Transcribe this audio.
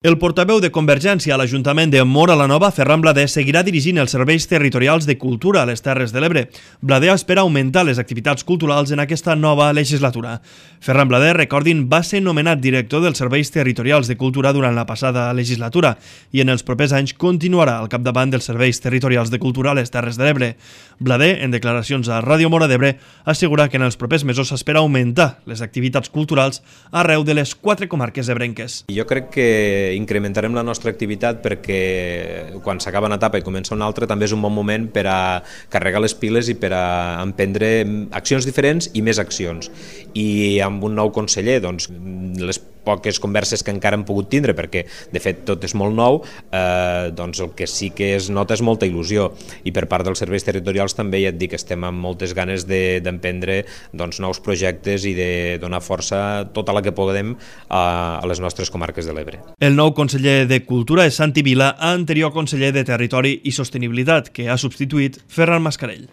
El portaveu de Convergència a l'Ajuntament de Móra la Nova, Ferran Blader, seguirà dirigint els serveis territorials de cultura a les Terres de l'Ebre. Blader espera augmentar les activitats culturals en aquesta nova legislatura. Ferran Blader, recordin, va ser nomenat director dels serveis territorials de cultura durant la passada legislatura i en els propers anys continuarà al capdavant dels serveis territorials de cultura a les Terres de l'Ebre. Blader, en declaracions a Ràdio Móra d'Ebre, assegura que en els propers mesos s'espera augmentar les activitats culturals arreu de les 4 comarques ebrenques. Jo crec que incrementarem la nostra activitat perquè quan s'acaba una etapa i comença una altra també és un bon moment per a carregar les piles i per a emprendre accions diferents i més accions. I amb un nou conseller, doncs, les poques converses que encara hem pogut tindre, perquè de fet tot és molt nou, doncs el que sí que es nota és molta il·lusió, i per part dels serveis territorials també ja et dic que estem amb moltes ganes d'emprendre nous projectes i de donar força tota la que podem a les nostres comarques de l'Ebre. El nou conseller de Cultura és Santi Vila, anterior conseller de Territori i Sostenibilitat, que ha substituït Ferran Mascarell.